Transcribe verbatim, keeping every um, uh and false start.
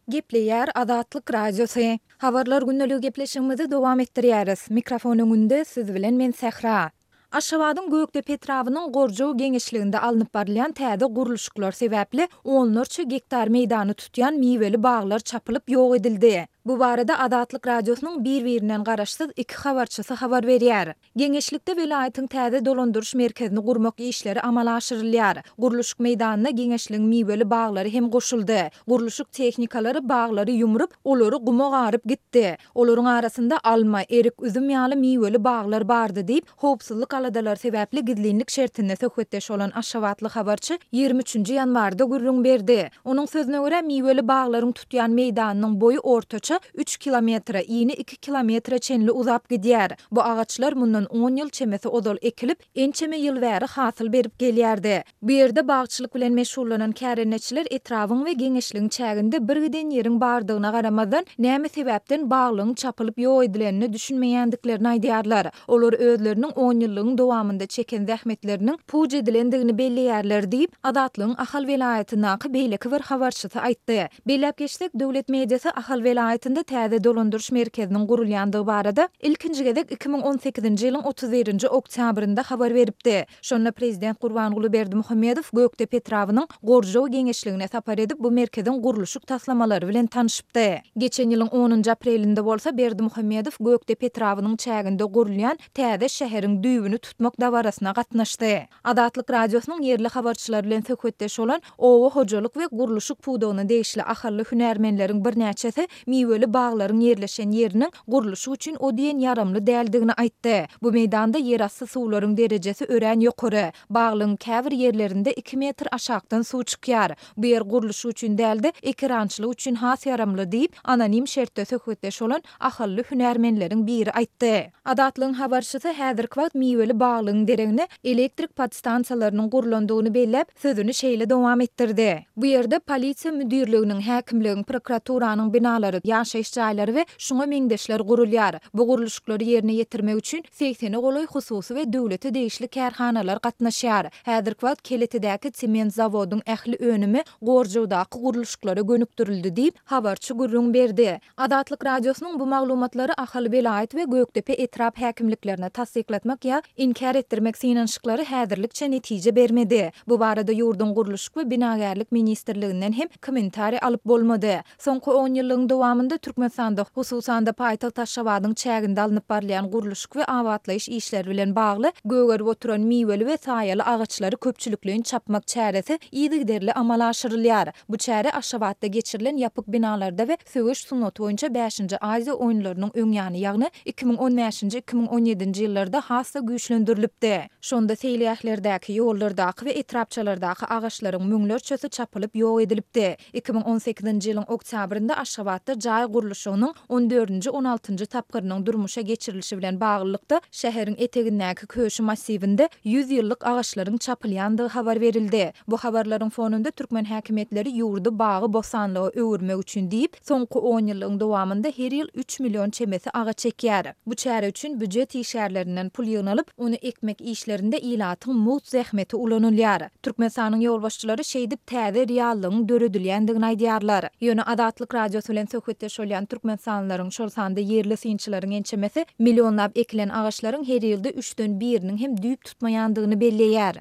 Gepleýär Azatlyk Radiosy. Habarlar gündeligi gepleşigimizi dowam etdirýäris. Mikrofon öňünde siz bilen men Sähra. Aşgabadyň Gökdepe etrabynyň Gorjow geňeşliginde alnyp barylýan täze gurluşyklar sebäpli onlarça gektar meýdany tutýan miweli baglar çapylyp ýok edildi. Bu barada Azatlyk Radiosynyň bir-birinden garaşsyz iki habarçysy habar berýär. Geňeşlikde welaýatyň täze dolandyryş merkezini gurmak işleri amala aşyrylýar. Gurluşyk meýdanyna geňeşligiň miweli baglary hem goşuldy. Gurluşyk tehnikalary baglary ýumrup, olary guma garyp gitdi. Olaryň arasynda alma, erik, üzüm ýaly miweli baglar bardy diýip, howpsuzlyk aladalary sebäpli gizlinlik şertinde söhbetdeş bolan aşgabatly habarçy ýigrimi üçünji ýanwarda gürrüň berdi. Onuň sözüne görä, miweli baglaryň tutýan meýdanynyň boýy ortaça üç kilometre, ini iki kilometre çenli uzap gidýär. Bu agaçlar mundan on ýyl çemesi ozal ekilip, ençeme ýyl bäri hasyl berip gelýärdi. Bu ýerde bagçylyk bilen meşgullanan kärendeçiler etrabyň we geňeşligiň çäginde birgiden ýeriň bardygyna garamazdan, näme sebäpden baglygyň çapylyp ýok edilenine düşünmeýändiklerini aýdýarlar. Olar özleriniň on ýyllygyň dowamynda çeken zähmetleriniň puç edilendigini belleýärler diýip, Azatlygyň Ahal welaýatyndaky beýleki bir habarçysy aýtdy. Belläp geçsek, döwlet mediasy Ahal welaýatynda täze dolandyryş merkeziniň gurulýandygy barada ilkinji gezek iki müň on sekizinji ýylyň otuz birinji oktýabrynda habar beripdi. Şonda prezident Gurbanguly Berdimuhamedow Gökdepe etrabynyň Gorjow geňeşligine sapar edip, bu merkeziň gurluşyk taslamalary bilen tanyşypdy. Geçen ýylyň onunjy aprelinde bolsa Berdimuhamedow Gökdepe etrabynyň çäginde gurulýan täze şäheriň düýbüni tutmak dabarasyna gatnaşdy. Azatlyk Radiosynyň ýerli habarçylary bilen söhbetdeş bolan oba hojalyk we gurluşyk pudagyna degişli ahally hünärmenleriň birnäçesi miweli baglaryň ýerleşen ýeriniň gurluşyk üçin o diýen ýaramly däldigini aýtdy. Bu meýdanda ýerasty suwlaryň derejesi örän ýokary. Baglygyň käbir ýerlerinde iki metr aşakdan suw çykýar. Bu ýer gurluşyk üçin däl-de, ekerançylyk üçin has ýaramly diýip, anonim şertde söhbetdeş bolan ahally hünärmenleriň biri aýtdy. Azatlygyň habarçysy häzirki wagt miweli baglygyň deregine elektrik podstansiýalarynyň gurlandygyny belläp, sözüni şeýle dowam etdirdi. Bu ýerde polisiýa müdirliginiň, häkimligiň, prokuraturanyň binalary, ýaşaýyş jaýlary we şuňa meňzeşler gurulýar. Bu gurluşyklary ýerine ýetirmek üçin segsene golaý hususy we döwlete degişli kärhanalar gatnaşýar. Häzirki wagt Keletedäki sement zawodyň ähli önümi Gorjowdaky gurluşyklara gönükdirildi diýip, habarçy gürrüň berdi. Azatlyk Radiosynyň bu maglumatlary Ahal welaýat we Gökdepe etrap häkimliklerine tassyklatmak ýa inkär etdirmek synanyşyklary häzirlikçe netije bermedi. Bu barada ýurduň Gurluşyk we binagärlik ministrliginden hem kommentariý alyp bolmady. Soňky on ýyllygyň dowamynda Türkmenistanda, hususan-da paýtagt Aşgabadyň çäginde alnyp barylýan gurluşyk we abatlaýyş işleri bilen bagly gögerip oturan miweli we saýaly agaçlary köpçülikleýin çapmak çäresi yzygiderli amala aşyrylýar. Bu çäre Aşgabatda geçirilen ýapyk binalarda we söweş sungaty boýunça bäşinji Aziýa oýunlarynyň öň ýany, ýagny iki müň on bäşinji, iki müň on ýedinji ýyllarda has-da güýçlendirilipdi. Şonda seýilgählerdäki, ýollardaky we etrapçalardaky agaçlaryň müňlerçesi çapylyp ýok edilipdi. Iki müň on sekizinji ýylyň oktýabrynda Aşgabatda jaý gurluşygynyň on dördünji, on altynjy tapgyrynyň durmuşa geçirilişi bilen baglylykda, şäheriň etegindäki Köşi massiwinde ýüz ýyllyk agaçlaryň çapylýandygy habar berildi. Bu habarlaryň fonunda türkmen häkimiýetleri ýurdy bagy-bossanlyga öwürmek üçin diýip, soňky on ýyllygyň dowamynda her ýyl üç million çemesi agaç ekýär. Bu çäre üçin býujet işgärlerinden pul ýygnalyp, ony ekmek işlerinde ilatyň mugt zähmeti ulanylýar. Türkmenistanyň ýolbaşçylary şeýdip täze reallygyň döredilýändigini aýdýarlar. Ýöne Azatlyk Radiosy bilen söhbetdeş bolýan türkmenistanlylaryň, şol sanda ýerli synçylaryň ençemesi millionlap ekilen agaçlaryň her ýylda üçden biriniň hem düýp tutmaýandygyny belleýär.